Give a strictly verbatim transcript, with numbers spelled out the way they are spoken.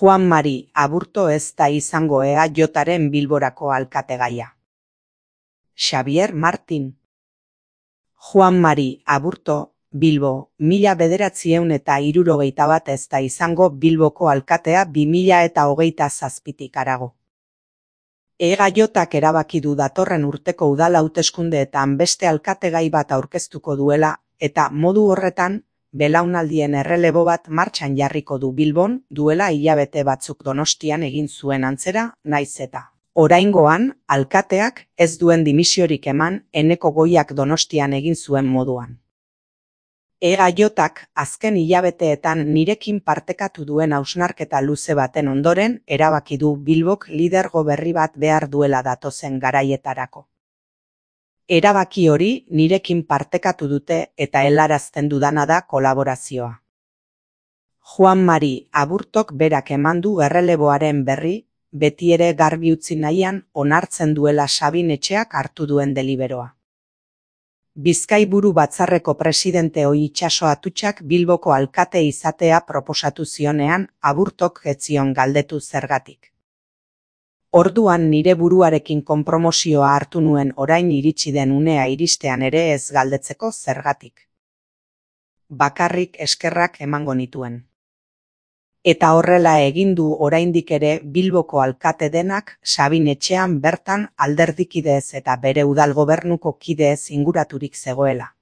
Juan Mari Aburto ez da izango E A Jaren Bilborako alkategaia. Xabier Martin. Juan Mari Aburto, Bilbo, mila bederatziehun eta hirurogeita bat ez da izango Bilboko alkatea bi mila eta hogeita zazpitik harago. E A Jak erabaki du datorren urteko udal hauteskundeetan beste alkategai bat aurkeztuko duela, eta modu horretan, belaunaldien errelebo bat martxan jarriko du Bilbon, duela hilabete batzuk Donostian egin zuen antzera, naiz eta. Oraingoan, alkateak ez duen dimisiorik eman Eneko Goiak Donostian egin zuen moduan. E A Jak azken hilabeteetan nirekin partekatu duen hausnarketa luze baten ondoren erabaki du Bilbok lidergo berri bat behar duela datozen garaietarako. Erabaki hori nirekin partekatu dute eta helarazten dudana da kolaborazioa. Juan Mari Aburtok berak eman du erreleboaren berri, beti ere garbi utzi nahian onartzen duela Sabin Etxeak hartu duen deliberoa. Bizkaiburu batzarreko presidente ohi Itxaso Atutxak Bilboko alkate izatea proposatu zionean Aburtok ez zion galdetu zergatik. Orduan nire buruarekin konpromozioa hartu nuen orain iritsi den unea iristean ere ez galdetzeko zergatik. Bakarrik eskerrak emango nituen. Eta horrela egin du oraindik ere Bilboko alkate denak Sabin Etxean bertan alderdikidez eta bere udal gobernuko kideez inguraturik zegoela.